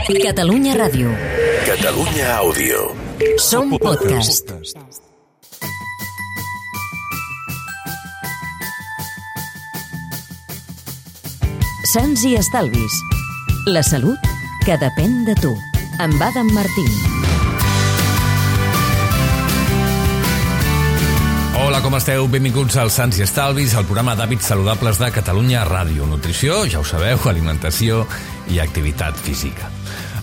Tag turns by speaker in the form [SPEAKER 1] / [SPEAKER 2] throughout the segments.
[SPEAKER 1] Catalunya Ràdio.
[SPEAKER 2] Catalunya Àudio.
[SPEAKER 1] Som podcast. Sants i estalvis. La salut que depèn de tu. Amb Adam Martín.
[SPEAKER 3] Hola, com esteu? Benvinguts al Sants i Estalvis, el programa d'hàbits saludables de Catalunya Ràdio. Nutrició, ja ho sabeu, alimentació i activitat física.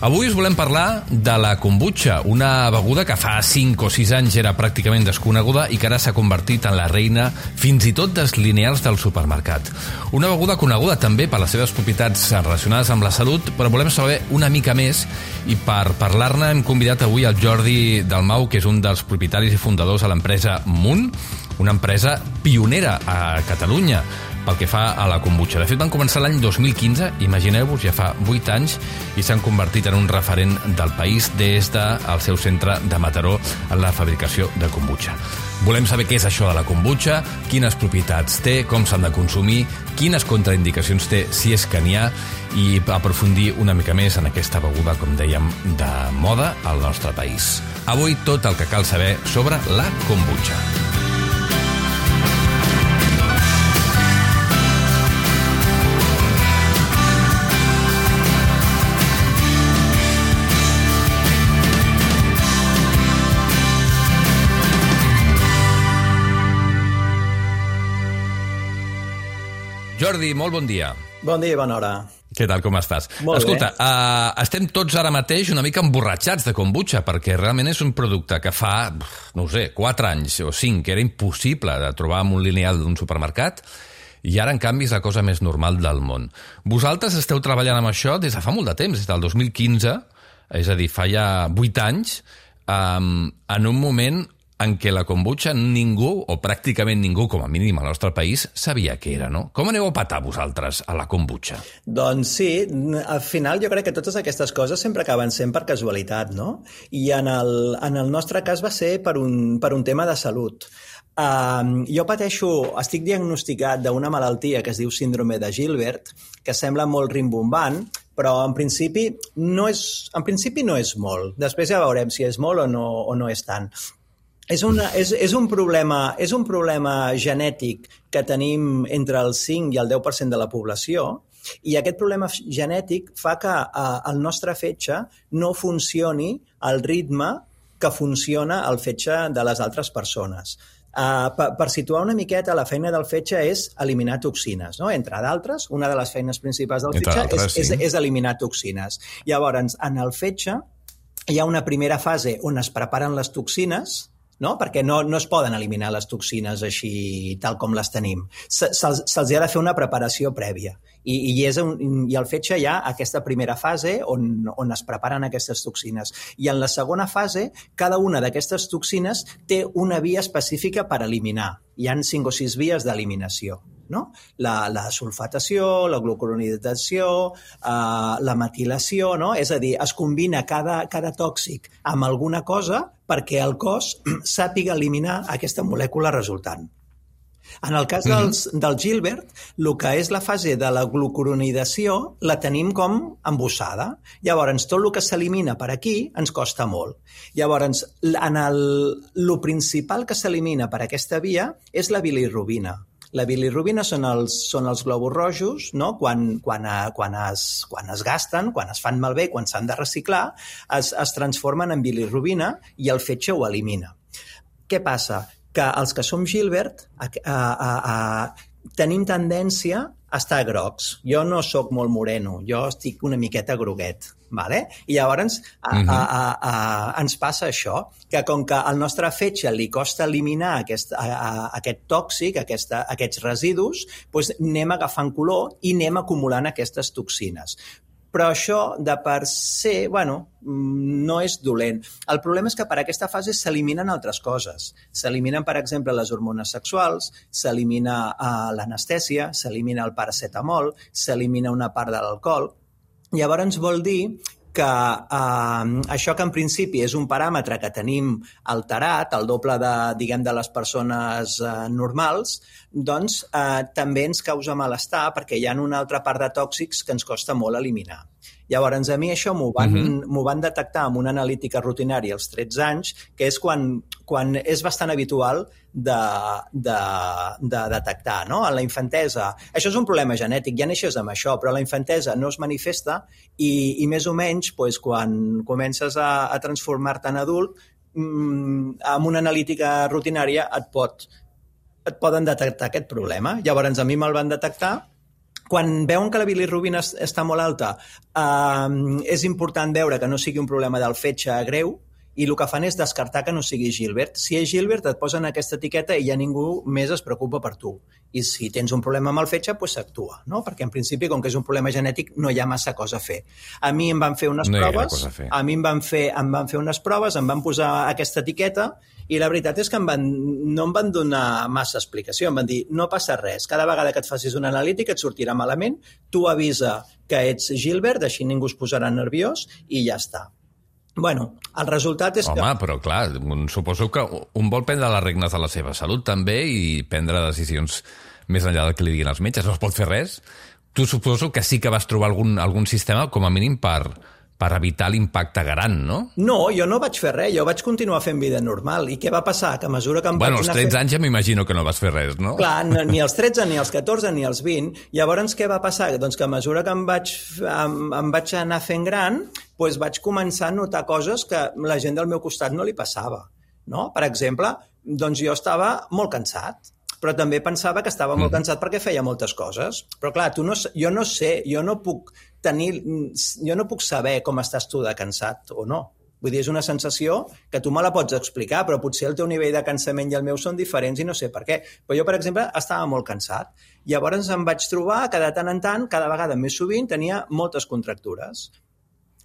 [SPEAKER 3] Avui us volem parlar de la kombucha, una beguda que fa 5 o 6 anys era pràcticament desconeguda i que ara s'ha convertit en la reina fins i tot dels lineals del supermercat. Una beguda coneguda també per les seves propietats relacionades amb la salut, però volem saber una mica més i per parlar-ne hem convidat avui el Jordi Dalmau, que és un dels propietaris i fundadors de l'empresa Munt, una empresa pionera a Catalunya pel que fa a la kombucha. De fet, van començar l'any 2015, imagineu-vos, ja fa 8 anys, i s'han convertit en un referent del país des del seu centre de Mataró en la fabricació de kombucha. Volem saber què és això de la kombucha, quines propietats té, com s'han de consumir, quines contraindicacions té, si és que n'hi ha, i aprofundir una mica més en aquesta beguda, com dèiem, de moda al nostre país. Avui tot el que cal saber sobre la kombucha. Jordi, molt bon dia.
[SPEAKER 4] Bon dia i bona hora.
[SPEAKER 3] Què tal, com estàs?
[SPEAKER 4] Molt
[SPEAKER 3] Escolta,
[SPEAKER 4] bé.
[SPEAKER 3] Estem tots ara mateix una mica emborratxats de kombucha, perquè realment és un producte que fa, no ho sé, 4 anys o 5, que era impossible de trobar en un lineal d'un supermercat, i ara, en canvi, és la cosa més normal del món. Vosaltres esteu treballant amb això des de fa molt de temps, des del 2015, és a dir, fa ja 8 anys, en un moment en què la kombucha ningú, o pràcticament ningú, com a mínim al nostre país, sabia què era, no? Com aneu a patar vosaltres a la kombucha?
[SPEAKER 4] Doncs sí, al final jo crec que totes aquestes coses sempre acaben sent per casualitat, no? I en el nostre cas va ser per un tema de salut. Jo estic diagnosticat d'una malaltia que es diu síndrome de Gilbert, que sembla molt rimbombant, però en principi no és molt. Després ja veurem si és molt o no és tant. És un problema genètic que tenim entre el 5 i el 10% de la població, i aquest problema genètic fa que el nostre fetge no funcioni al ritme que funciona el fetge de les altres persones. Per situar una miqueta, la feina del fetge és eliminar toxines, no? Entre d'altres, una de les feines principals del fetge és eliminar toxines. Llavors, en el fetge hi ha una primera fase on es preparen les toxines, no? Perquè no es poden eliminar les toxines així tal com les tenim. Se'ls ha de fer una preparació prèvia. I al fetge hi ha aquesta primera fase on es preparen aquestes toxines. I en la segona fase, cada una d'aquestes toxines té una via específica per eliminar. Hi ha 5 o 6 vies d'eliminació, no? La sulfatació, la glucuronidació, la metilació, no? És a dir, es combina cada tòxic amb alguna cosa perquè el cos sàpiga eliminar aquesta molècula resultant. En el cas del Gilbert, el que és la fase de la glucuronidació la tenim com embossada. Llavors, tot el que s'elimina per aquí ens costa molt. Llavors, el principal que s'elimina per aquesta via és la bilirubina. La bilirubina són els glòbuls rojos, no? Quan es gasten, quan es fan malbé, quan s'han de reciclar, es transformen en bilirubina i el fetge ho elimina. Què passa? Que els que som Gilbert tenim tendència a estar grocs. Jo no sóc molt moreno, jo estic una miqueta groguet. Vale? I llavors ens passa això, que com que al nostre fetge li costa eliminar aquest tòxic, aquests residus, doncs anem agafant color i anem acumulant aquestes toxines. Però això, de per se, no és dolent. El problema és que per aquesta fase s'eliminen altres coses. S'eliminen, per exemple, les hormones sexuals, s'elimina l'anestèsia, s'elimina el paracetamol, s'elimina una part de l'alcohol. Llavors vol dir que això que en principi és un paràmetre que tenim alterat, el doble de les persones normals, doncs també ens causa malestar perquè hi ha una altra part de tòxics que ens costa molt eliminar. Llavors, a mi això m'ho van detectar amb una analítica rutinària als 13 anys, que és quan és bastant habitual de detectar, no? En la infantesa, això és un problema genètic, ja neixes amb això, però a la infantesa no es manifesta i més o menys quan comences a transformar-te en adult, amb una analítica rutinària et poden detectar aquest problema. Llavors, a mi me'l van detectar. Quan veuen que la bilirrubina està molt alta, és important veure que no sigui un problema del fetge greu, i el que fan és descartar que no sigui Gilbert. Si és Gilbert, et posen aquesta etiqueta i ja ningú més es preocupa per tu. I si tens un problema amb el fetge, doncs s'actua, no? Perquè en principi, com que és un problema genètic, no hi ha massa cosa a fer. A mi em van fer unes proves, em van posar aquesta etiqueta i la veritat és que no em van donar massa explicació. Em van dir, no passa res, cada vegada que et facis una analítica et sortirà malament, tu avisa que ets Gilbert, així ningú es posarà nerviós i ja està. Bueno, el resultat és que...
[SPEAKER 3] Home, però clar, suposo que un vol prendre les regnes de la seva salut també i prendre decisions més enllà del que li diguin els metges. No es pot fer res. Tu suposo que sí que vas trobar algun sistema, com a mínim, per evitar l'impacte gran, no?
[SPEAKER 4] No, jo no vaig fer res, jo vaig continuar fent vida normal. I què va passar? Que a mesura que em vaig anar
[SPEAKER 3] als 13 anys ja m'imagino que no vas fer res, no?
[SPEAKER 4] Clar, ni als 13, ni als 14, ni als 20. Llavors, què va passar? Doncs que a mesura que em vaig anar fent gran, doncs vaig començar a notar coses que la gent del meu costat no li passava, no? Per exemple, doncs jo estava molt cansat, però també pensava que estava molt cansat perquè feia moltes coses. Però clar, jo no sé, jo no puc saber com estàs tu de cansat o no. Vull dir, és una sensació que tu me la pots explicar, però potser el teu nivell de cansament i el meu són diferents i no sé per què. Però jo, per exemple, estava molt cansat. Llavors em vaig trobar que de tant en tant, cada vegada més sovint, tenia moltes contractures.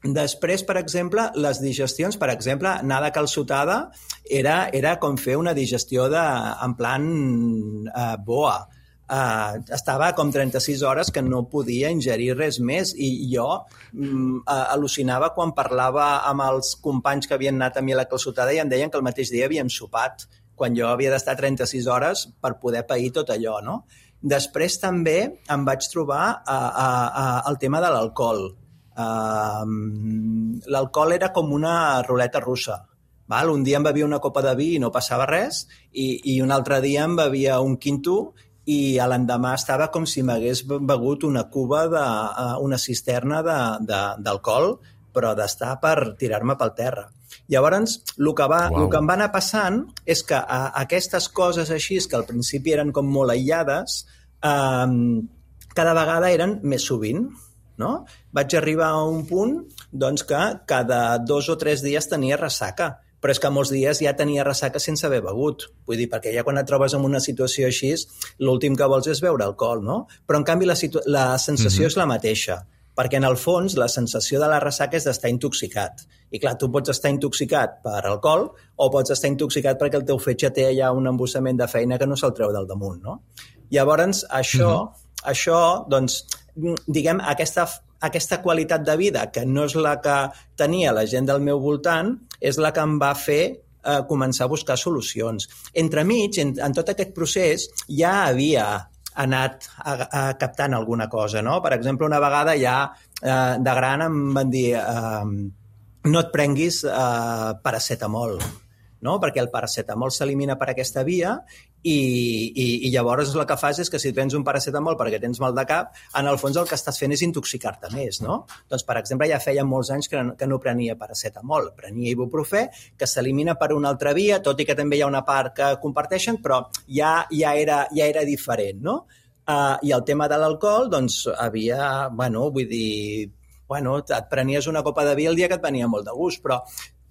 [SPEAKER 4] Després, per exemple, les digestions, per exemple, anar de calçotada era com fer una digestió en plan boa. Estava com 36 hores que no podia ingerir res més i jo al·lucinava quan parlava amb els companys que havien anat a mi a la calçotada i em deien que el mateix dia havíem sopat, quan jo havia d'estar 36 hores per poder pair tot allò, no? Després també em vaig trobar el tema de l'alcohol. L'alcohol era com una ruleta russa. Val? Un dia em bevia una copa de vi i no passava res i un altre dia em bevia un quinto i l'endemà estava com si m'hagués begut una cuba, una cisterna d'alcohol, però d'estar per tirar-me pel terra. Llavors, el que em va anar passant és que aquestes coses així, que al principi eren com molt aïllades, cada vegada eren més sovint. No? Vaig arribar a un punt doncs, que cada 2 o 3 dies tenia ressaca, però és que molts dies ja tenia ressaca sense haver begut. Vull dir, perquè ja quan et trobes en una situació així, l'últim que vols és beure alcohol, no? Però en canvi la sensació és la mateixa, perquè en el fons la sensació de la ressaca és d'estar intoxicat. I clar, tu pots estar intoxicat per alcohol o pots estar intoxicat perquè el teu fetge té ja un embussament de feina que no se'l treu del damunt, no? Llavors, això, doncs, diguem, aquesta qualitat de vida, que no és la que tenia la gent del meu voltant, és la que em va fer començar a buscar solucions. Entremig, en tot aquest procés, ja havia anat captant alguna cosa, no? Per exemple, una vegada ja de gran em van dir no et prenguis paracetamol, no? Perquè el paracetamol s'elimina per aquesta via i llavors el que fas és que si prens un paracetamol perquè tens mal de cap, en el fons el que estàs fent és intoxicar-te més, no? Doncs, per exemple, ja feia molts anys que no prenia paracetamol, prenia ibuprofè, que s'elimina per una altra via, tot i que també hi ha una part que comparteixen, però ja era diferent, no? I el tema de l'alcohol, doncs, et prenies una copa de vi el dia que et venia molt de gust, però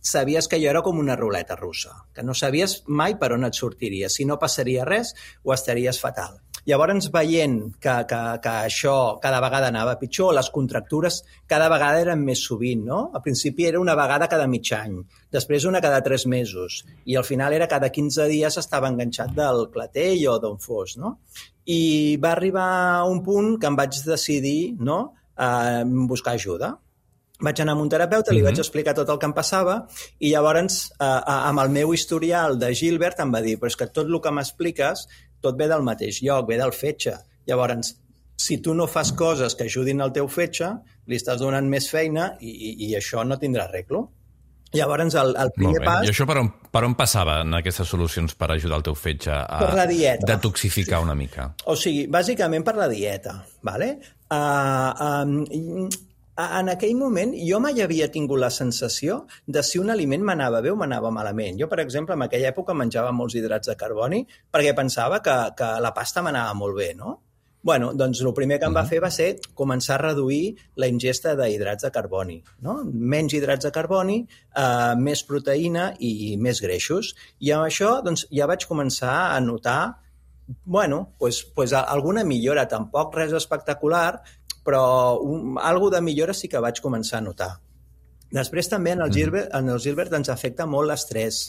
[SPEAKER 4] sabies que jo era com una ruleta russa, que no sabies mai per on et sortiria. Si no passaria res, ho estaries fatal. Llavors, veient que això cada vegada anava pitjor, les contractures cada vegada eren més sovint, no? Al principi era una vegada cada mig any, després una cada 3 mesos, i al final era cada 15 dies estava enganxat del clatell o d'on fos, no? I va arribar un punt que em vaig decidir, no?, a buscar ajuda. Vaig anar amb un terapeuta, li vaig explicar tot el que em passava i llavors, amb el meu historial de Gilbert, em va dir, però és que tot el que m'expliques tot ve del mateix lloc, ve del fetge. Llavors, si tu no fas coses que ajudin al teu fetge, li estàs donant més feina i això no tindrà arreglo. Llavors, el primer pas...
[SPEAKER 3] I això per on passava en aquestes solucions per ajudar el teu fetge a
[SPEAKER 4] per la dieta.
[SPEAKER 3] Detoxificar una mica?
[SPEAKER 4] O sigui, bàsicament per la dieta, ¿vale? En aquell moment jo mai havia tingut la sensació de si un aliment m'anava bé o m'anava malament. Jo, per exemple, en aquella època menjava molts hidrats de carboni perquè pensava que la pasta m'anava molt bé, no? Bueno, doncs el primer que em va fer va ser començar a reduir la ingesta d'hidrats de carboni, no? Menys hidrats de carboni, més proteïna i més greixos. I amb això doncs, ja vaig començar a notar alguna millora, tampoc res espectacular, però algo de millora sí que vaig començar a notar. Després també en el Gilbert ens afecta molt l'estrès,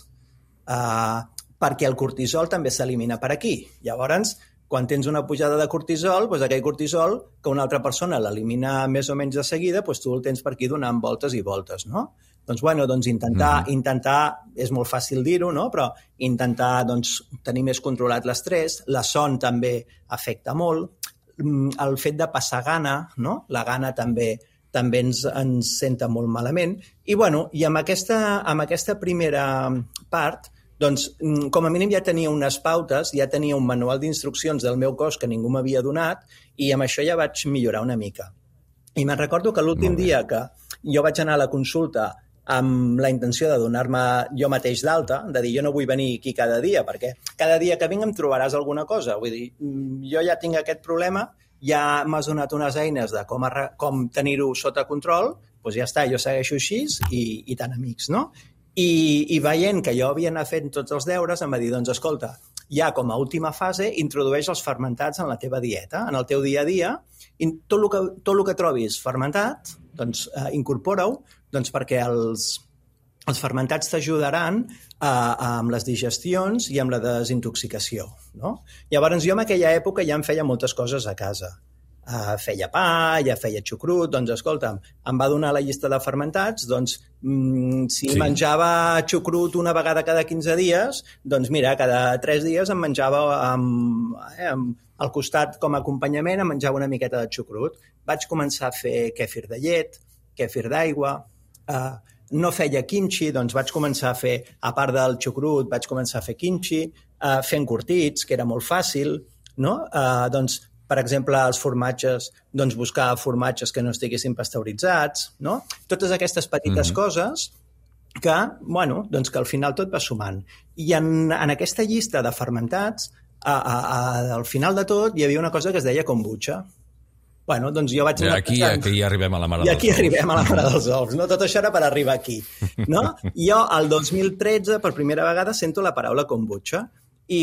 [SPEAKER 4] perquè el cortisol també s'elimina per aquí. Llavors, quan tens una pujada de cortisol, doncs aquell cortisol que una altra persona l'elimina més o menys de seguida, doncs tu el tens per aquí donant voltes i voltes, no? Doncs intentar, és molt fàcil dir-ho, no? Però intentar tenir més controlat l'estrès, la son també afecta molt, el fet de passar gana, no? La gana també ens senta molt malament. I amb aquesta primera part, doncs, com a mínim ja tenia unes pautes, ja tenia un manual d'instruccions del meu cos que ningú m'havia donat i amb això ja vaig millorar una mica. I me'n recordo que l'últim dia que jo vaig anar a la consulta amb la intenció de donar-me jo mateix d'alta, de dir jo no vull venir aquí cada dia, perquè cada dia que vinc em trobaràs alguna cosa. Vull dir, jo ja tinc aquest problema, ja m'has donat unes eines de com tenir-ho sota control, doncs ja està, jo segueixo així i tan amics, no? I veient que jo havia anat fent tots els deures, em va dir, doncs escolta, ja com a última fase introdueix els fermentats en la teva dieta, en el teu dia a dia, i tot el que trobis fermentat, doncs incorpora-ho, doncs perquè els fermentats t'ajudaran amb les digestions i amb la desintoxicació, no? Llavors jo en aquella època ja em feia moltes coses a casa. Feia pa, ja feia xucrut, doncs escolta'm, em va donar la llista de fermentats, doncs si menjava xucrut una vegada cada 15 dies, doncs mira, cada 3 dies em menjava al costat com a acompanyament, em menjava una miqueta de xucrut. Vaig començar a fer kèfir de llet, kèfir d'aigua, no feia kimchi, doncs vaig començar a fer, a part del xucrut, vaig començar a fer kimchi, fent curtits, que era molt fàcil, no? Doncs per exemple, els formatges, doncs buscar formatges que no estiguessin pasteuritzats, no? Totes aquestes petites coses que, doncs que al final tot va sumant. I en aquesta llista de fermentats, al final de tot, hi havia una cosa que es deia kombucha. Doncs jo vaig anar pensant...
[SPEAKER 3] Aquí arribem a la mare dels ous.
[SPEAKER 4] I aquí arribem a la mare dels ous, no? Tot això era per arribar aquí, no? Jo, el 2013, per primera vegada, sento la paraula kombucha. I,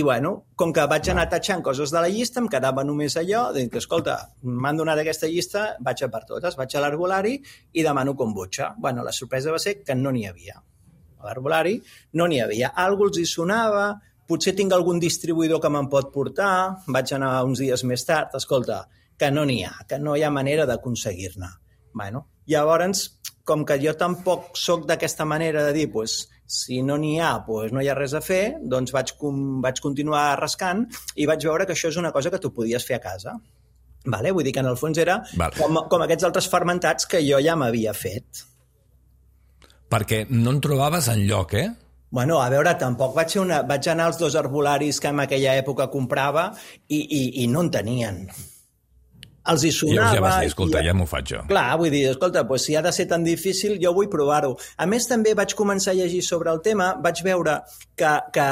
[SPEAKER 4] com que vaig anar tatxant coses de la llista, em quedava només allò, dic que, escolta, m'han donat aquesta llista, vaig a per totes, vaig a l'herbolari i demano kombucha. La sorpresa va ser que no n'hi havia. A l'herbolari no n'hi havia. Algú els hi sonava, potser tinc algun distribuïdor que me'n pot portar, vaig anar uns dies més tard, escolta, que no n'hi ha, que no hi ha manera d'aconseguir-ne. Llavors, com que jo tampoc soc d'aquesta manera de dir, si no n'hi ha, no hi ha res a fer, doncs vaig continuar rascant i vaig veure que això és una cosa que tu podies fer a casa. Vull dir que en el fons era com aquests altres fermentats que jo ja m'havia fet.
[SPEAKER 3] Perquè no en trobaves enlloc, eh?
[SPEAKER 4] A veure, tampoc vaig anar als 2 herbolaris que en aquella època comprava i no en tenien. Els hi sonava...
[SPEAKER 3] Ja vas dir, escolta, ja m'ho faig jo.
[SPEAKER 4] Clar, vull dir, escolta, si ha de ser tan difícil, jo vull provar-ho. A més, també vaig començar a llegir sobre el tema, vaig veure que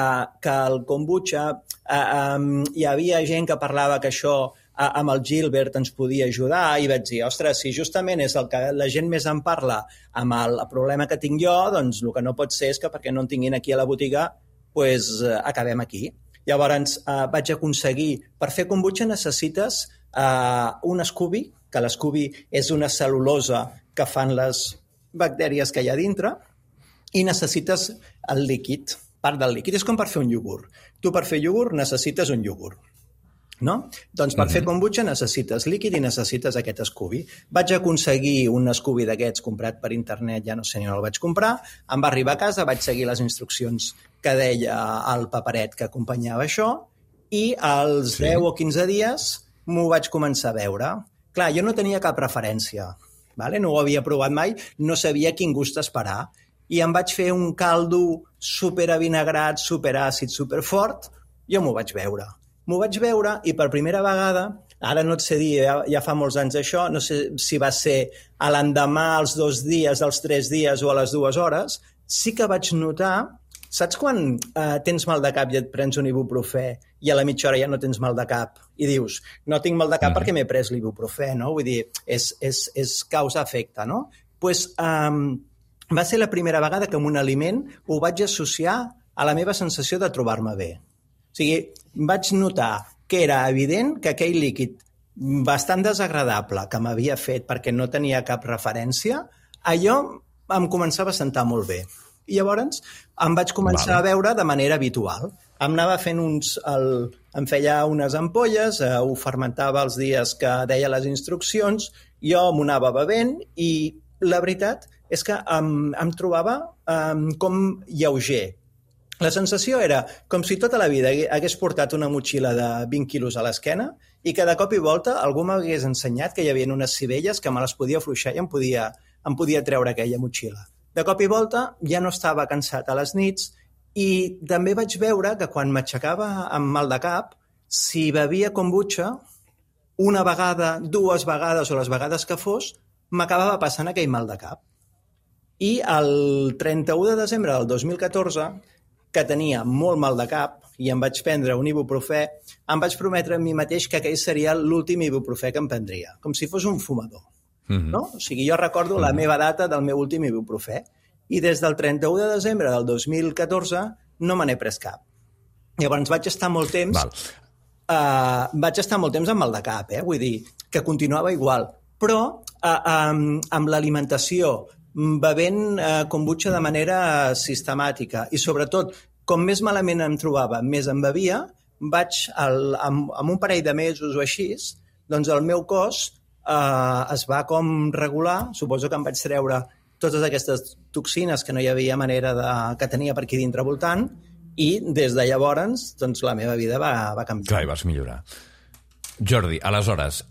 [SPEAKER 4] el kombucha, hi havia gent que parlava que això amb el Gilbert ens podia ajudar i vaig dir, ostres, si justament és el que la gent més en parla amb el problema que tinc jo, doncs el que no pot ser és que perquè no en tinguin aquí a la botiga, doncs acabem aquí. Llavors vaig aconseguir, per fer kombucha necessites un Scooby, que l'Scooby és una cel·lulosa que fan les bactèries que hi ha dintre, i necessites el líquid, part del líquid. És com per fer un iogurt. Tu per fer iogurt necessites un iogurt, no? Doncs per fer kombucha necessites líquid i necessites aquest Scooby. Vaig aconseguir un Scooby d'aquests comprat per internet, ja no sé ni on el vaig comprar, em va arribar a casa, vaig seguir les instruccions que deia el paperet que acompanyava això i als 10 o 15 dies m'ho vaig començar a veure. Clar, jo no tenia cap referència, vale? No ho havia provat mai, no sabia quin gust esperar. I em vaig fer un caldo superavinagrat, superàcid, superfort, jo m'ho vaig veure. M'ho vaig veure i per primera vegada, ara no et sé dir, ja fa molts anys això, no sé si va ser a l'endemà, als 2 dies, als 3 dies o a les 2 hores, sí que vaig notar. Saps quan tens mal de cap i et prens un ibuprofè i a la mitja hora ja no tens mal de cap i dius, no tinc mal de cap perquè m'he pres l'ibuprofè, no? Vull dir, és causa-efecte, no? Doncs va ser la primera vegada que amb un aliment ho vaig associar a la meva sensació de trobar-me bé. O sigui, vaig notar que era evident que aquell líquid bastant desagradable que m'havia fet perquè no tenia cap referència, allò em començava a sentar molt bé. I llavors em vaig començar a veure de manera habitual. Em anava fent em feia unes ampolles, ho fermentava els dies que deia les instruccions, jo m'ho anava bevent i la veritat és que em trobava com lleuger. La sensació era com si tota la vida hagués portat una motxilla de 20 quilos a l'esquena i que de cop i volta algú m'hagués ensenyat que hi havia unes sivelles que me les podia afluixar i em podia treure aquella motxilla. De cop i volta ja no estava cansat a les nits i també vaig veure que quan m'aixecava amb mal de cap, si bevia kombucha, una vegada, 2 vegades o les vegades que fos, m'acabava passant aquell mal de cap. I el 31 de desembre del 2014, que tenia molt mal de cap i em vaig prendre un ibuprofè, em vaig prometre a mi mateix que aquell seria l'últim ibuprofè que em prendria, com si fos un fumador. No? O sigui, jo recordo la meva data del meu últim ibuprofè i des del 31 de desembre del 2014 no me n'he pres cap. Llavors vaig estar molt temps amb mal de cap, vull dir, que continuava igual, però amb l'alimentació, bevent kombucha de manera sistemàtica i sobretot, com més malament em trobava, més em bevia, vaig, amb un parell de mesos o així, doncs el meu cos es va com regular, suposo que em vaig treure totes aquestes toxines que no hi havia manera que tenia per aquí dintre voltant i des de llavors doncs, la meva vida va canviar.
[SPEAKER 3] Clar, i vas millorar. Jordi, aleshores,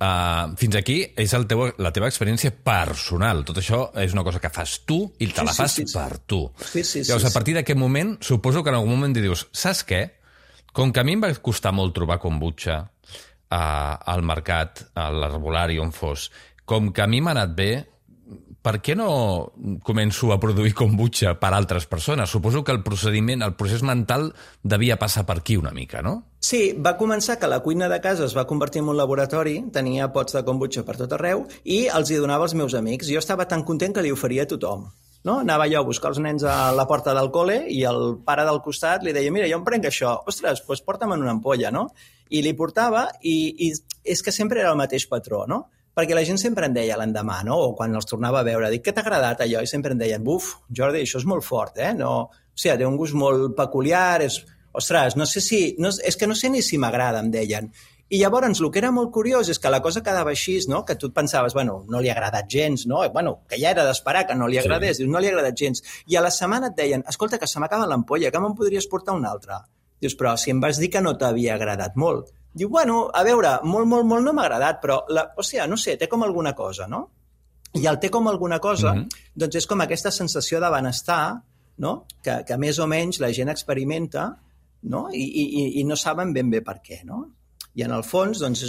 [SPEAKER 3] fins aquí és la teva experiència personal. Tot això és una cosa que fas tu i te la fas per tu. Llavors, a partir d'aquest moment, suposo que en algun moment dius, saps què? Com que a mi em va costar molt trobar kombucha al mercat, a l'herbolari, on fos, com que a mi m'ha anat bé, per què no començo a produir kombucha per altres persones? Suposo que el procés mental devia passar per aquí una mica, no?
[SPEAKER 4] Sí, va començar que la cuina de casa es va convertir en un laboratori, tenia pots de kombucha per tot arreu i els hi donava als meus amics. Jo estava tan content que li oferia a tothom. No? Anava jo a buscar els nens a la porta del col·le i el pare del costat li deia, mira, jo em prenc això, ostres, doncs porta'm en una ampolla, no? I li portava i és que sempre era el mateix patró, no? Perquè la gent sempre en deia l'endemà, no? O quan els tornava a veure, dic, què t'ha agradat allò? I sempre en deien, buf, Jordi, això és molt fort, no? O sigui, té un gust molt peculiar, ostres, no sé si... és que no sé ni si m'agrada, em deien. I llavors, el que era molt curiós és que la cosa quedava així, no? Que tu et pensaves, bueno, no li ha agradat gens, no? Bueno, que ja era d'esperar que no li agradés, dius, no li ha agradat gens. I a la setmana et deien, escolta, que se m'acaba l'ampolla, que me'n podries portar una altra? Dius, però si em vas dir que no t'havia agradat molt. Diu, bueno, a veure, molt no m'ha agradat, però, o sigui, no sé, té com alguna cosa, no? I el té com alguna cosa, doncs és com aquesta sensació de benestar, no? Que més o menys la gent experimenta, no? I no saben ben bé per què, no? I en el fons, doncs,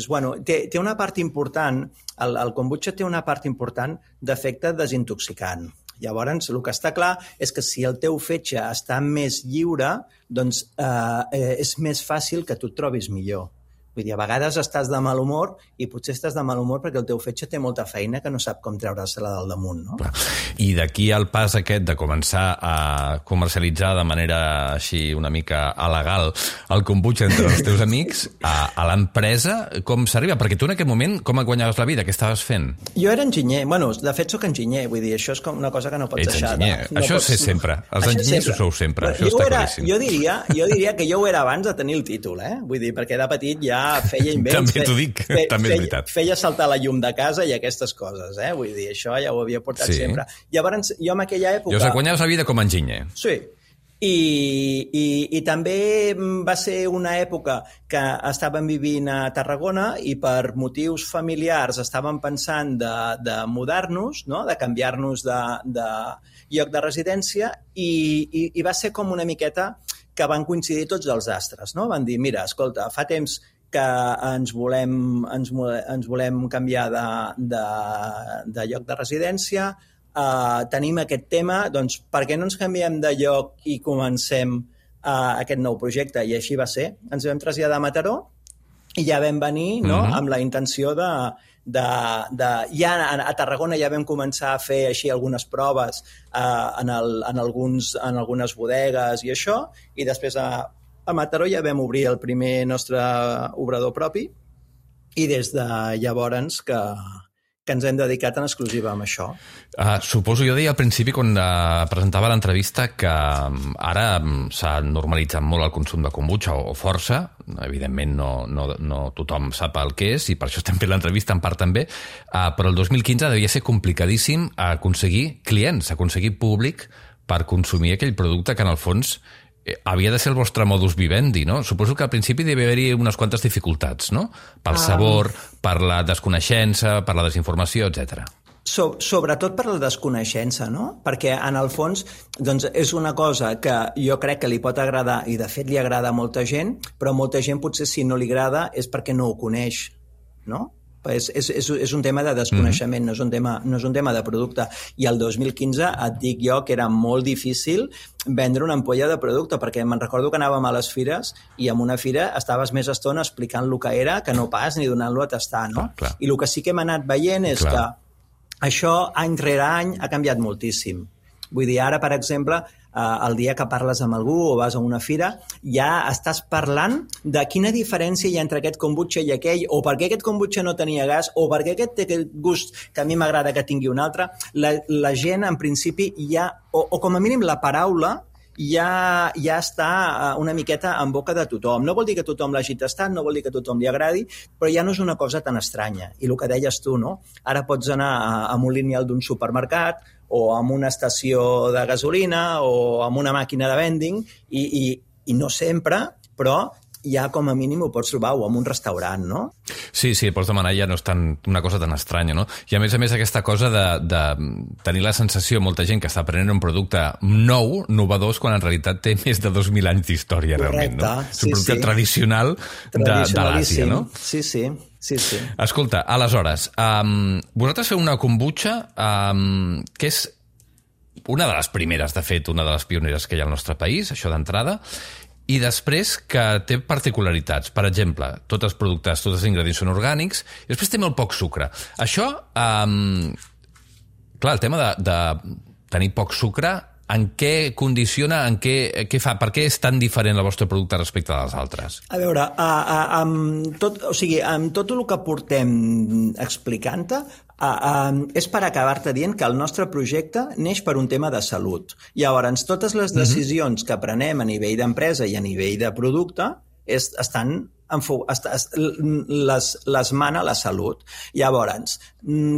[SPEAKER 4] té una part important, el kombucha té una part important d'efecte desintoxicant. Llavors, el que està clar és que si el teu fetge està més lliure, doncs és més fàcil que tu et trobis millor. Vull dir, a vegades estàs de mal humor i potser estàs de mal humor perquè el teu fetge té molta feina que no sap com treure-se-la del damunt, no?
[SPEAKER 3] I d'aquí al pas aquest de començar a comercialitzar de manera així una mica alegal el kombucha entre els teus amics, a l'empresa, com s'arriba? Perquè tu en aquest moment, com et guanyaves la vida? Què estaves fent?
[SPEAKER 4] Jo era enginyer. Bueno, de fet soc enginyer, vull dir, això és com una cosa que no pots deixar.
[SPEAKER 3] Ets enginyer. Això és sempre. Els enginyers ho sou sempre. Això està claríssim.
[SPEAKER 4] Jo diria que jo ho era abans de tenir el títol, Vull dir, perquè de petit ja feia invents.
[SPEAKER 3] També t'ho dic, també és veritat.
[SPEAKER 4] Feia saltar la llum de casa i aquestes coses, Vull dir, això ja ho havia portat sempre. Llavors, jo en aquella època...
[SPEAKER 3] Llavors guanyaves la vida com a enginyer.
[SPEAKER 4] Sí. I també va ser una època que estàvem vivint a Tarragona i per motius familiars estàvem pensant de mudar-nos, no? De canviar-nos de lloc de residència i va ser com una miqueta que van coincidir tots els astres, no? Van dir, mira, escolta, fa temps que ens volem canviar de lloc de residència, tenim aquest tema, doncs per què no ens canviem de lloc i comencem aquest nou projecte? I així va ser. Ens vam traslladar a Mataró i ja vam venir, no? Amb la intenció ja a Tarragona ja vam començar a fer així algunes proves en algunes bodegues i això, i després a Mataró ja vam obrir el primer nostre obrador propi i des de llavors que ens hem dedicat en exclusiva amb això.
[SPEAKER 3] Suposo, jo deia al principi quan presentava l'entrevista que ara s'ha normalitzat molt el consum de kombucha o força, evidentment no tothom sap el que és i per això estem fent l'entrevista en part també, però el 2015 devia ser complicadíssim aconseguir clients, aconseguir públic per consumir aquell producte que en el fons havia de ser el vostre modus vivendi, no? Suposo que al principi devia haver-hi unes quantes dificultats, no? Pel sabor, per la desconeixença, per la desinformació, etc.
[SPEAKER 4] Sobretot per la desconeixença, no? Perquè en el fons doncs, és una cosa que jo crec que li pot agradar i de fet li agrada a molta gent, però molta gent potser si no li agrada és perquè no ho coneix, no? És un tema de desconeixement, no és un tema de producte. I el 2015 et dic jo que era molt difícil vendre una ampolla de producte, perquè me'n recordo que anàvem a les fires i en una fira estaves més estona explicant el que era que no pas ni donant-lo a tastar, no?
[SPEAKER 3] Clar.
[SPEAKER 4] I el que sí que hem anat veient és que això any rere any ha canviat moltíssim. Vull dir, ara, per exemple, el dia que parles amb algú o vas a una fira, ja estàs parlant de quina diferència hi ha entre aquest kombucha i aquell, o per què aquest kombucha no tenia gas, o per què aquest té aquest gust que a mi m'agrada que tingui un altre. La gent, en principi, ja, o com a mínim la paraula, ja està una miqueta en boca de tothom. No vol dir que tothom l'hagi tastat, no vol dir que tothom li agradi, però ja no és una cosa tan estranya. I el que deies tu, no? Ara pots anar amb un lineal d'un supermercat o amb una estació de gasolina o amb una màquina de vending i no sempre, però ja com a mínim ho pots trobar o en un restaurant, no?
[SPEAKER 3] Sí, pots demanar, ja no és una cosa tan estranya, no? I a més aquesta cosa de tenir la sensació, molta gent que està prenent un producte nou, novedós, quan en realitat té més de 2.000 anys d'història, realment, no? És un producte tradicional de l'Àsia, no?
[SPEAKER 4] Sí.
[SPEAKER 3] Escolta, aleshores, vosaltres feu una kombucha que és una de les primeres, de fet, una de les pioneres que hi ha al nostre país, això d'entrada, i després que té particularitats. Per exemple, tots els productes, tots els ingredients són orgànics, i després té molt poc sucre. Això, clar, el tema de tenir poc sucre, en què condiciona, què fa? Per què és tan diferent el vostre producte respecte dels altres?
[SPEAKER 4] A veure, amb tot el que portem explicant-te, és per acabar-te dient que el nostre projecte neix per un tema de salut. Llavors, totes les decisions que prenem a nivell d'empresa i a nivell de producte les mana la salut. Llavors,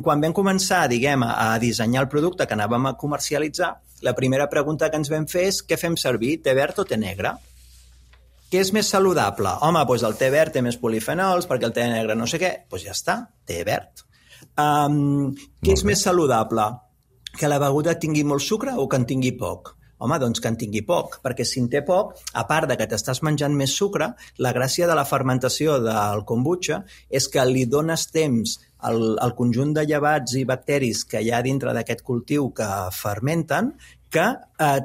[SPEAKER 4] quan vam començar, diguem, a dissenyar el producte que anàvem a comercialitzar, la primera pregunta que ens vam fer és què fem servir, té verd o té negre? Què és més saludable? Home, doncs el té verd té més polifenols, perquè el té negre no sé què. Doncs ja està, té verd. Què és més saludable? Que la beguda tingui molt sucre o que en tingui poc? Home, doncs que en tingui poc, perquè si en té poc, a part de que t'estàs menjant més sucre, la gràcia de la fermentació del kombucha és que li dones temps al conjunt de llevats i bacteris que hi ha dintre d'aquest cultiu que fermenten que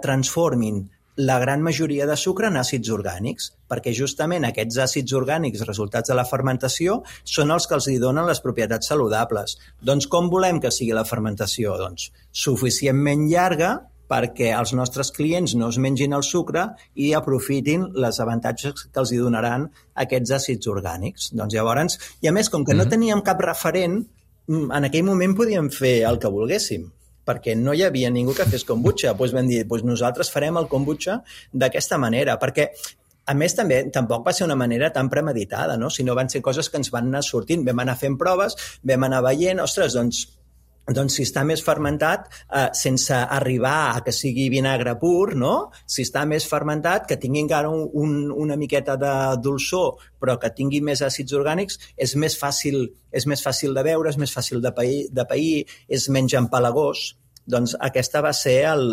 [SPEAKER 4] transformin la gran majoria de sucre en àcids orgànics, perquè justament aquests àcids orgànics resultats de la fermentació són els que els donen les propietats saludables. Doncs com volem que sigui la fermentació? Doncs suficientment llarga perquè els nostres clients no es mengin el sucre i aprofitin les avantatges que els donaran aquests àcids orgànics. Doncs llavors, i a més, com que no teníem cap referent, en aquell moment podíem fer el que volguéssim, perquè no hi havia ningú que fes kombucha. Doncs vam dir, nosaltres farem el kombucha d'aquesta manera, perquè a més, tampoc va ser una manera tan premeditada, no? Sinó van ser coses que ens van anar sortint. Vam anar fent proves, vam anar veient, ostres, doncs Doncs si està més fermentat, sense arribar a que sigui vinagre pur, no? Si està més fermentat, que tingui encara una miqueta de dolçor, però que tingui més àcids orgànics, és més fàcil de beure, és més fàcil de pair, és menys empalagós. Doncs aquest va ser el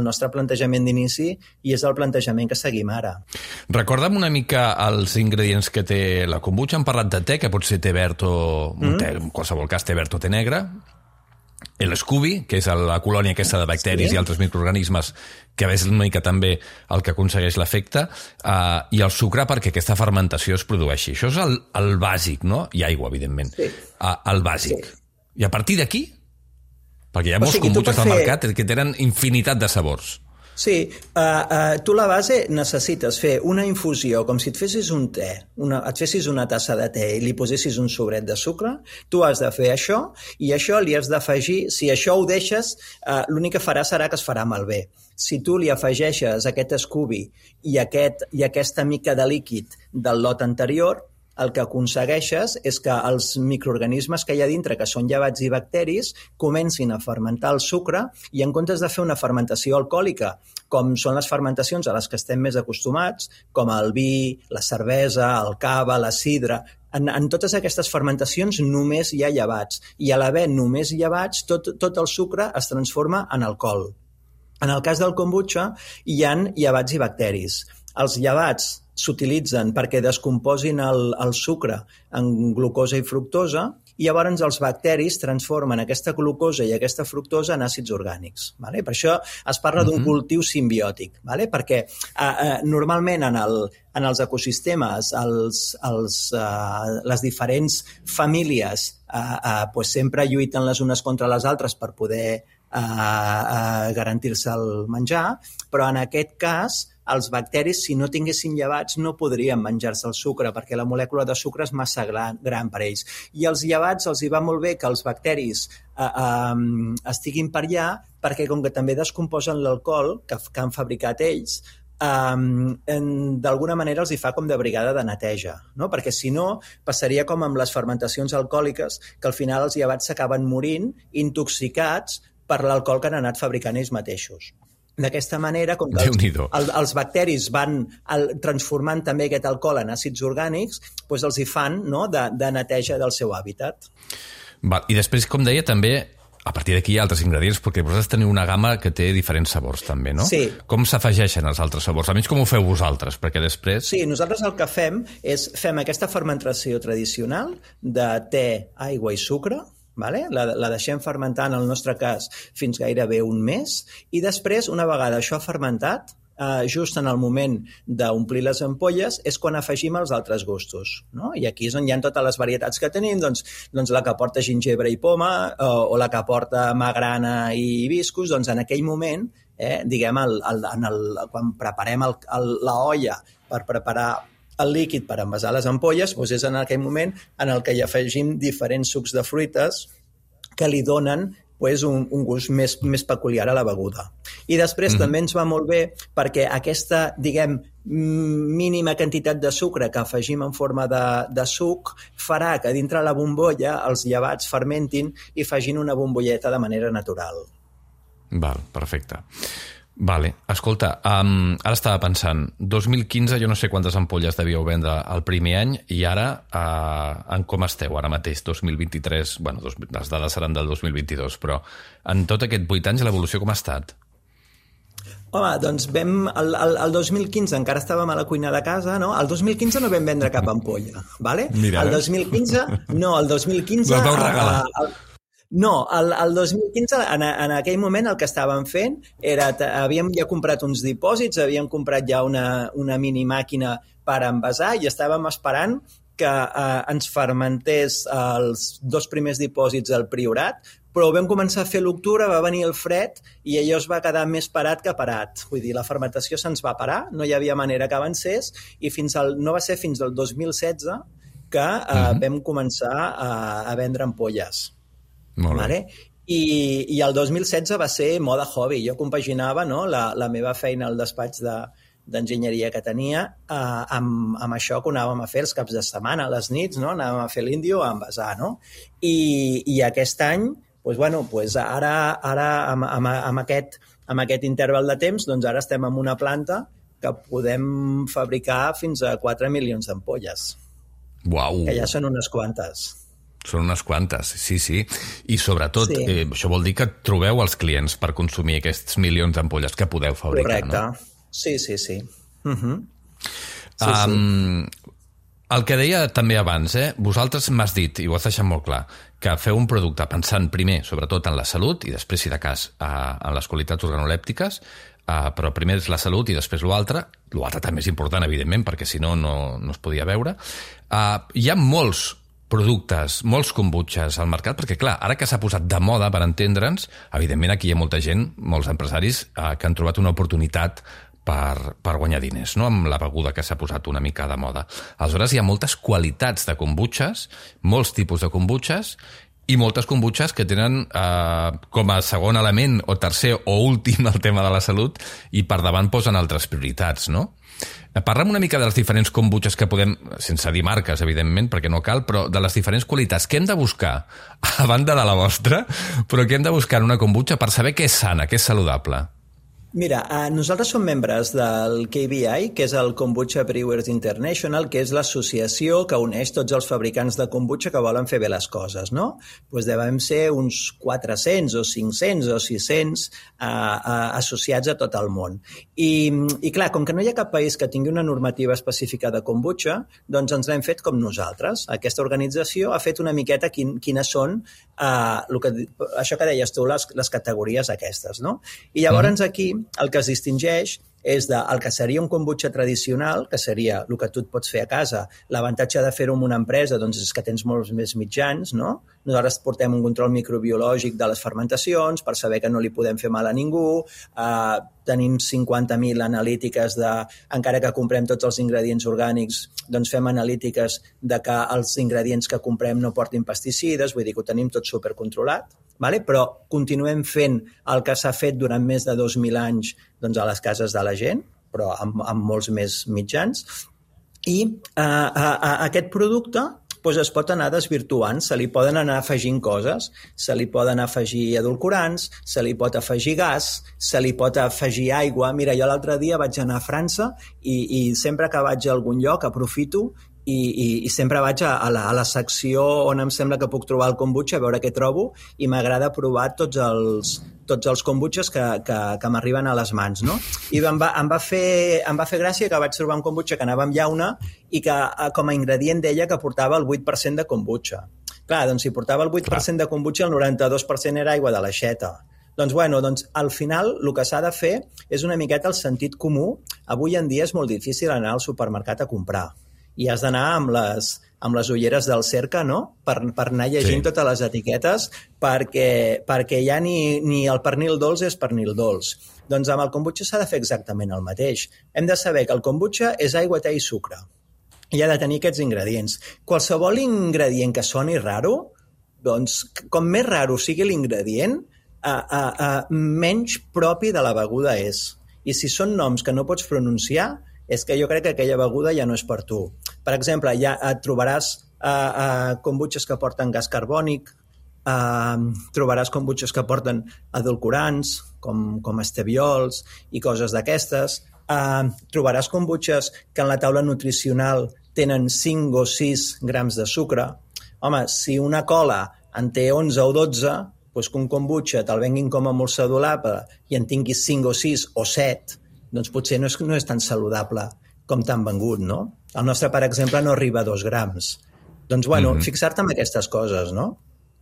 [SPEAKER 4] nostre plantejament d'inici i és el plantejament que seguim ara.
[SPEAKER 3] Recorda'm una mica els ingredients que té la kombucha. Hem parlat de te, que pot ser te verd o té, en qualsevol cas té verd o té negre. L'Scooby, que és la colònia aquesta de bacteris i altres microorganismes, que és una mica també el que aconsegueix l'efecte, i el sucre perquè aquesta fermentació es produeixi. Això és el bàsic, no? I aigua, evidentment. Sí. El bàsic. Sí. I a partir d'aquí? Perquè hi ha molts kombuchas al mercat que tenen infinitat de sabors.
[SPEAKER 4] Sí, tu la base necessites fer una infusió com si et fessis un te, et fessis una tassa de te i li posessis un sobret de sucre, tu has de fer això i això li has d'afegir, si això ho deixes, l'únic que farà serà que es farà malbé. Si tu li afegeixes aquest Scooby i aquesta mica de líquid del lot anterior, el que aconsegueixes és que els microorganismes que hi ha dintre, que són llevats i bacteris, comencin a fermentar el sucre i en comptes de fer una fermentació alcohòlica, com són les fermentacions a les que estem més acostumats, com el vi, la cervesa, el cava, la sidra, en totes aquestes fermentacions només hi ha llevats. I a l'haver només llevats, tot el sucre es transforma en alcohol. En el cas del kombucha hi ha llevats i bacteris. Els llevats s'utilitzen perquè descomposin el sucre en glucosa i fructosa i llavors els bacteris transformen aquesta glucosa i aquesta fructosa en àcids orgànics. Vale? Per això es parla d'un cultiu simbiòtic, vale? Perquè normalment en els ecosistemes les diferents famílies pues sempre lluiten les unes contra les altres per poder garantir-se el menjar, però en aquest cas els bacteris, si no tinguessin llevats, no podrien menjar-se el sucre perquè la molècula de sucre és massa gran per ells. I als llevats els hi va molt bé que els bacteris estiguin per allà perquè com que també descomposen l'alcohol que han fabricat ells, d'alguna manera els hi fa com de brigada de neteja, no? Perquè si no passaria com amb les fermentacions alcohòliques que al final els llevats s'acaben morint intoxicats per l'alcohol que han anat fabricant ells mateixos. D'aquesta manera, com que els bacteris van transformant també aquest alcohol en àcids orgànics, doncs els hi fan de neteja del seu hàbitat.
[SPEAKER 3] I després, com deia, també a partir d'aquí hi ha altres ingredients, perquè vosaltres teniu una gamma que té diferents sabors també, no?
[SPEAKER 4] Sí.
[SPEAKER 3] Com s'afegeixen els altres sabors? Almenys com ho feu vosaltres, perquè després...
[SPEAKER 4] Sí, nosaltres el que fem és fem aquesta fermentació tradicional de te, aigua i sucre, vale? La deixem fermentar, en el nostre cas, fins gairebé un mes, i després, una vegada això ha fermentat, just en el moment d'omplir les ampolles, és quan afegim els altres gustos, no? I aquí és on hi ha totes les varietats que tenim, doncs la que porta gingebre i poma, o la que porta magrana i hibiscus, doncs en aquell moment, diguem, quan preparem la olla per preparar el líquid per envasar les ampolles, doncs és en aquell moment en el que hi afegim diferents sucs de fruites que li donen un gust més peculiar a la beguda. I després també ens va molt bé perquè aquesta, diguem, mínima quantitat de sucre que afegim en forma de suc farà que dintre la bombolla els llevats fermentin i facin una bombolleta de manera natural.
[SPEAKER 3] Val, perfecte. Vale, escolta, ara estava pensant, 2015 jo no sé quantes ampolles devíeu vendre el primer any i ara en com esteu ara mateix, 2023, bueno, les dades seran del 2022, però en tot aquest 8 anys l'evolució com ha estat?
[SPEAKER 4] Home, doncs el 2015 encara estàvem a la cuina de casa, no? El 2015 no vam vendre cap ampolla, vale?
[SPEAKER 3] Mira,
[SPEAKER 4] el 2015... No, el 2015...
[SPEAKER 3] Les vau regalar.
[SPEAKER 4] No, el 2015, en aquell moment el que estàvem fent era, havíem ja comprat uns dipòsits, havíem comprat ja una mini màquina per envasar i estàvem esperant que ens fermentés els 2 primers dipòsits al Priorat, però vam començar a fer l'octubre, va venir el fred i allò es va quedar més parat que parat. Vull dir, la fermentació se'ns va parar, no hi havia manera que avancés i no va ser fins al 2016 que vam començar a vendre ampolles. Vale? I el 2016 va ser moda hobby. Jo compaginava la meva feina al despatx d'enginyeria que tenia amb això que anàvem a fer els caps de setmana, a les nits, no? Anàvem a fer l'índio a envasar. No? I aquest any ara amb aquest interval de temps, doncs ara estem en una planta que podem fabricar fins a 4 milions d'ampolles.
[SPEAKER 3] Uau!
[SPEAKER 4] Que ja són unes quantes.
[SPEAKER 3] Són unes quantes, sí. I sobretot, això vol dir que trobeu els clients per consumir aquests milions d'ampolles que podeu fabricar,
[SPEAKER 4] correcte.
[SPEAKER 3] No?
[SPEAKER 4] Sí. Sí.
[SPEAKER 3] El que deia també abans, vosaltres m'has dit, i ho has deixat molt clar, que feu un producte pensant primer, sobretot, en la salut, i després, si de cas, en les qualitats organolèptiques, però primer és la salut i després l'altre. L'altre també és important, evidentment, perquè si no es podia veure. Hi ha molts productes, molts kombuchas al mercat, perquè clar, ara que s'ha posat de moda, per entendre'ns, evidentment aquí hi ha molta gent, molts empresaris, que han trobat una oportunitat per guanyar diners, no? Amb la beguda que s'ha posat una mica de moda. Aleshores, hi ha moltes qualitats de kombuchas, molts tipus de kombuchas, i moltes kombuchas que tenen com a segon element o tercer o últim el tema de la salut, i per davant posen altres prioritats, no? Parlem una mica de les diferents kombuchas que podem, sense dir marques, evidentment, perquè no cal, però de les diferents qualitats. Què hem de buscar, a banda de la vostra, però què hem de buscar en una kombucha per saber què és sana, què és saludable?
[SPEAKER 4] Mira, nosaltres som membres del KBI, que és el Kombucha Brewers International, que és l'associació que uneix tots els fabricants de kombucha que volen fer bé les coses, no? Doncs devem ser uns 400 o 500 o 600 associats a tot el món. I clar, com que no hi ha cap país que tingui una normativa específica de kombucha, doncs ens l'hem fet com nosaltres. Aquesta organització ha fet una miqueta quines són això que deies tu, les categories aquestes, no? I llavors aquí el que es distingeix és el que seria un kombucha tradicional, que seria el que tu et pots fer a casa. L'avantatge de fer-ho en una empresa doncs, és que tens molts més mitjans, no? Nosaltres portem un control microbiològic de les fermentacions per saber que no li podem fer mal a ningú, tenim 50.000 analítiques encara que comprem tots els ingredients orgànics, doncs fem analítiques de que els ingredients que comprem no portin pesticides, vull dir que ho tenim tot supercontrolat, vale? Però continuem fent el que s'ha fet durant més de 2.000 anys doncs, a les cases de la gent, però amb molts més mitjans. I aquest producte doncs es pot anar desvirtuant, se li poden anar afegint coses, se li poden afegir edulcorants, se li pot afegir gas, se li pot afegir aigua. Mira, jo l'altre dia vaig anar a França i sempre que vaig a algun lloc aprofito i sempre vaig a la secció on em sembla que puc trobar el kombucha, a veure què trobo, i m'agrada provar tots els kombuchas que m'arriben a les mans, no? I em va fer gràcia que vaig trobar un kombucha que anava amb llauna i que com a ingredient deia que portava el 8% de kombucha. Clar, doncs si portava el 8% de kombucha, el 92% era aigua de l'aixeta. Doncs al final el que s'ha de fer és una miqueta el sentit comú. Avui en dia és molt difícil anar al supermercat a comprar. I has d'anar amb les ulleres del cerca, no? Per anar llegint totes les etiquetes, perquè ja ni el pernil dolç és pernil dolç. Doncs amb el kombucha s'ha de fer exactament el mateix. Hem de saber que el kombucha és aigua, te i sucre. I ha de tenir aquests ingredients. Qualsevol ingredient que soni raro, doncs com més raro sigui l'ingredient, menys propi de la beguda és. I si són noms que no pots pronunciar, és que jo crec que aquella beguda ja no és per tu. Per exemple, ja et trobaràs kombuchas que porten gas carbònic, trobaràs kombuchas que porten edulcorants, com esteviols i coses d'aquestes. Trobaràs kombuchas que en la taula nutricional tenen 5 o 6 grams de sucre. Home, si una cola en té 11 o 12, doncs que un kombucha te'l venguin com a molt saludable i en tinguis 5 o 6 o 7, doncs potser no és tan saludable com t'han vengut, no? El nostre, per exemple, no arriba a 2 grams. Doncs, fixar-te en aquestes coses, no?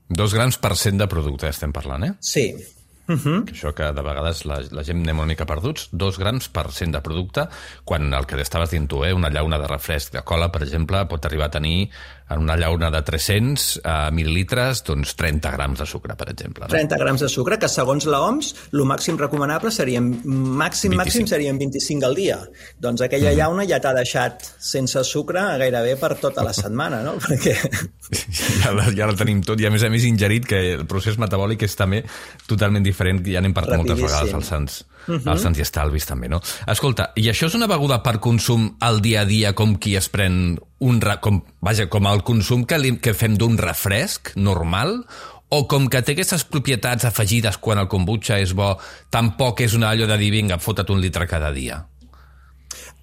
[SPEAKER 3] 2 grams per cent de producte estem parlant, eh?
[SPEAKER 4] Sí.
[SPEAKER 3] Que això que de vegades la gent anem una mica perduts, 2 grams per cent de producte, quan el que estaves dient tu, una llauna de refresc de cola, per exemple, pot arribar a tenir en una llauna de 300 mil·lilitres, doncs 30 grams de sucre, per exemple. No?
[SPEAKER 4] 30 grams de sucre, que segons l'OMS, el màxim recomanable serien, màxim serien 25 al dia. Doncs aquella llauna ja t'ha deixat sense sucre gairebé per tota la setmana, no? Perquè...
[SPEAKER 3] Ja la tenim tot, i a més ingerit, que el procés metabòlic és també totalment diferent, ja n'hem parlat moltes vegades als Sants i Estalvis també, no? Escolta, i això és una beguda per consum al dia a dia, com qui es pren com el consum que fem d'un refresc normal, O com que té aquestes propietats afegides quan el kombucha és bo, tampoc és una allò de dir, vinga, fota't un litre cada dia?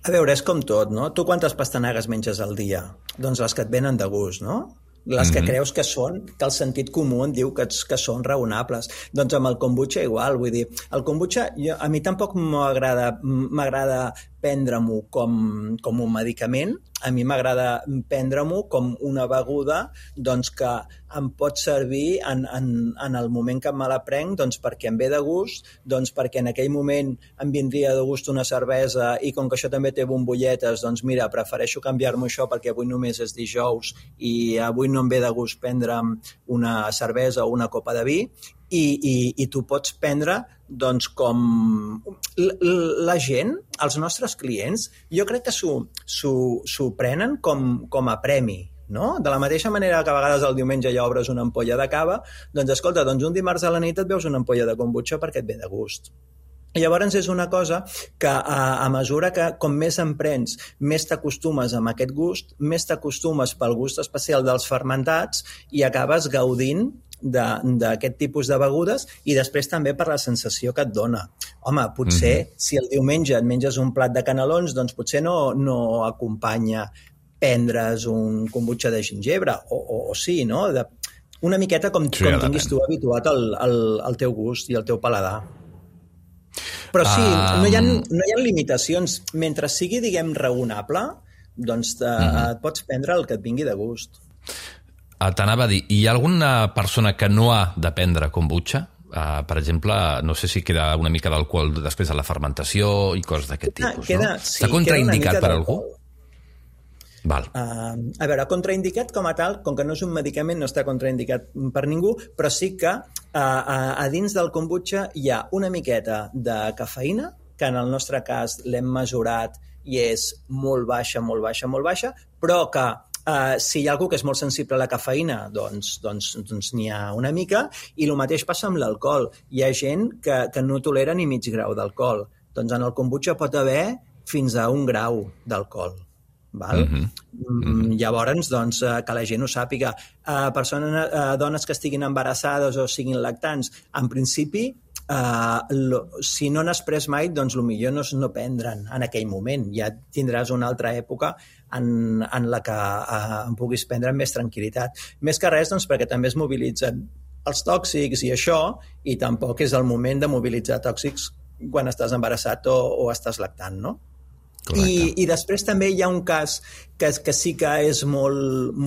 [SPEAKER 4] A veure, és com tot, no? Tu quantes pastanagues menges al dia? Doncs les que et venen de gust, no? Les que creus que són, que el sentit comú et diu que són raonables. Doncs amb el kombucha igual, vull dir, el kombucha a mi tampoc m'agrada prendre-m'ho com un medicament, a mi m'agrada prendre-m'ho com una beguda doncs, que em pot servir en el moment que me la prenc doncs, perquè em ve de gust, doncs, perquè en aquell moment em vindria de gust una cervesa i com que això també té bombolletes, doncs mira, prefereixo canviar-m'ho això perquè avui només és dijous i avui no em ve de gust prendre'm una cervesa o una copa de vi i tu pots prendre doncs com la gent, els nostres clients, jo crec que s'ho prenen com a premi, no? De la mateixa manera que a vegades el diumenge ja obres una ampolla de cava, doncs escolta, doncs un dimarts a la nit et veus una ampolla de kombucha perquè et ve de gust. I llavors és una cosa que a mesura que com més en prens, més t'acostumes amb aquest gust, més t'acostumes pel gust especial dels fermentats i acabes gaudint d'aquest tipus de begudes i després també per la sensació que et dona. Home, potser si el diumenge et menges un plat de canelons, doncs potser no acompanya prendre's un kombucha de gingebre, o sí, no? Una miqueta com tinguis tu habituat al teu gust i al teu paladar. Però sí, no hi ha limitacions. Mentre sigui, diguem, raonable, doncs et pots prendre el que et vingui de gust.
[SPEAKER 3] T'anava a dir, hi ha alguna persona que no ha de prendre kombucha? Per exemple, no sé si queda una mica d'alcohol després de la fermentació i coses d'aquest tipus, no? Està contraindicat per algú? Val.
[SPEAKER 4] A veure, contraindicat com a tal, com que no és un medicament, no està contraindicat per ningú, però sí que a dins del kombucha hi ha una miqueta de cafeïna, que en el nostre cas l'hem mesurat i és molt baixa, molt baixa, molt baixa, però que si hi ha algú que és molt sensible a la cafeïna, doncs n'hi ha una mica, i el mateix passa amb l'alcohol. Hi ha gent que no tolera ni mig grau d'alcohol. Doncs en el kombucha pot haver fins a 1 grau d'alcohol. Val? Llavors, doncs, que la gent ho sàpiga. Dones que estiguin embarassades o siguin lactants, en principi, si no n'has pres mai, doncs el millor no és no prendre'n en aquell moment. Ja tindràs una altra època en la que en puguis prendre amb més tranquil·litat. Més que res, doncs, perquè també es mobilitzen els tòxics i això, i tampoc és el moment de mobilitzar tòxics quan estàs embarassat o estàs lactant, no? I després també hi ha un cas que sí que és molt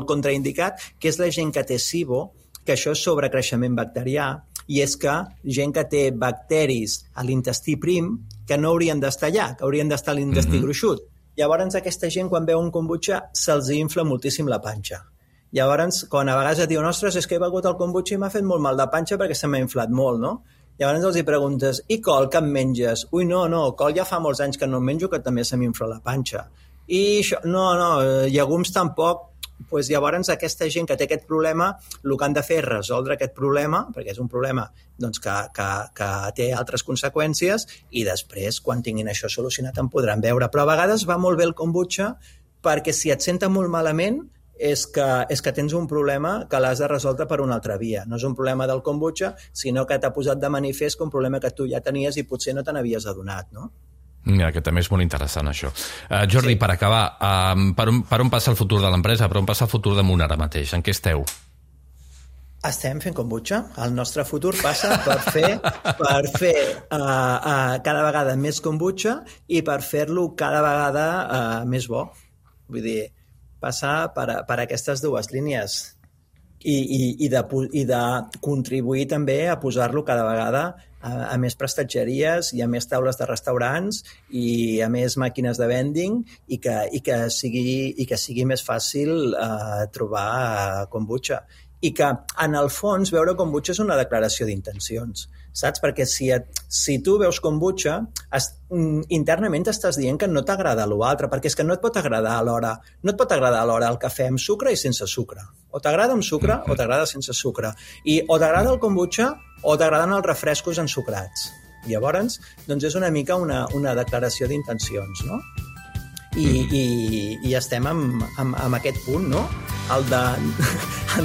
[SPEAKER 4] contraindicat, que és la gent que té SIBO, que això és sobrecreixement bacterià, i és que gent que té bacteris a l'intestí prim que no haurien d'estar allà, que haurien d'estar a l'intestí gruixut. Llavors aquesta gent, quan veu un kombucha, se'ls infla moltíssim la panxa. Llavors, quan a vegades et diuen, ostres, és que he begut el kombucha i m'ha fet molt mal de panxa perquè se m'ha inflat molt, no? Llavors els hi preguntes, i col, que em menges? Ui, no, col ja fa molts anys que no em menjo, que també se m'infla la panxa. I això, no, llegums tampoc. Pues llavors aquesta gent que té aquest problema, el que han de fer és resoldre aquest problema, perquè és un problema doncs, que té altres conseqüències, i després, quan tinguin això solucionat, en podran veure. Però a vegades va molt bé el kombucha, perquè si et senta molt malament, és que tens un problema que l'has de resoldre per una altra via. No és un problema del kombucha, sinó que t'ha posat de manifest un problema que tu ja tenies i potser no te n'havies adonat, no?
[SPEAKER 3] Mira, que també és molt interessant, això. Jordi, per acabar, per on passa el futur de l'empresa? Per on passa el futur de Munt ara mateix? En què esteu?
[SPEAKER 4] Estem fent kombucha. El nostre futur passa per fer cada vegada més kombucha i per fer-lo cada vegada més bo. Vull dir, passar per aquestes dues línies i de contribuir també a posar-lo cada vegada a més prestatgeries i a més taules de restaurants i a més màquines de vending i que sigui més fàcil trobar kombucha. I que, en el fons, veure kombucha és una declaració d'intencions, saps? Perquè si tu veus kombucha, internament estàs dient que no t'agrada l'altre, perquè és que no et pot agradar alhora. No et pot agradar alhora el cafè amb sucre i sense sucre. O t'agrada amb sucre o t'agrada sense sucre. I o t'agrada el kombucha o t'agraden els refrescos ensucrats. Llavors, doncs és una mica una declaració d'intencions, no? I estem en aquest punt, no? El de,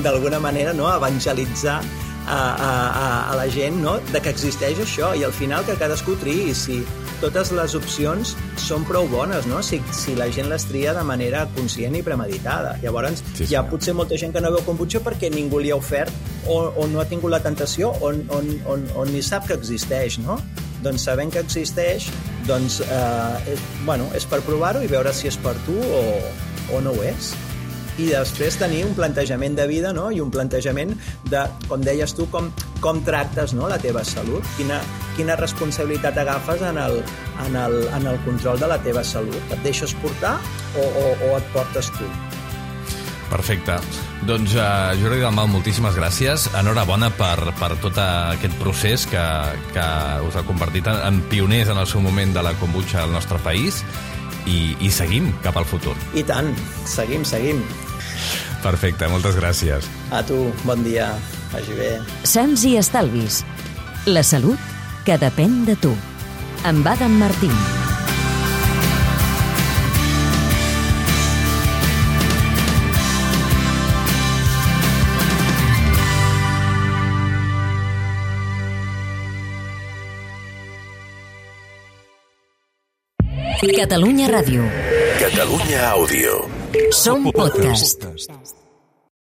[SPEAKER 4] d'alguna manera, no? Evangelitzar a la gent, no? De que existeix això, i al final que cadascú triï si totes les opcions són prou bones, no? Si la gent les tria de manera conscient i premeditada. Llavors,
[SPEAKER 3] sí.
[SPEAKER 4] Hi ha potser molta gent que no veu kombucha perquè ningú li ha ofert o no ha tingut la tentació o ni sap que existeix, no? Doncs sabent que existeix, doncs, és per provar-ho i veure si és per tu o no ho és. I després tenir un plantejament de vida, no? I un plantejament de, com deies tu, com tractes, no? La teva salut, quina responsabilitat agafes en el control de la teva salut. Et deixes portar o et portes tu?
[SPEAKER 3] Perfecte. Doncs, Jordi Dalmau, moltíssimes gràcies. Enhorabona per tot aquest procés que us ha convertit en pioners en el seu moment de la kombucha al nostre país i seguim cap al futur.
[SPEAKER 4] I tant, seguim.
[SPEAKER 3] Perfecte, moltes gràcies.
[SPEAKER 4] A tu, bon dia, vagi bé.
[SPEAKER 1] Sants i estalvis. La salut que depèn de tu. Amb Adam Martín. Catalunya Ràdio.
[SPEAKER 2] Catalunya Àudio.
[SPEAKER 1] Som podcast.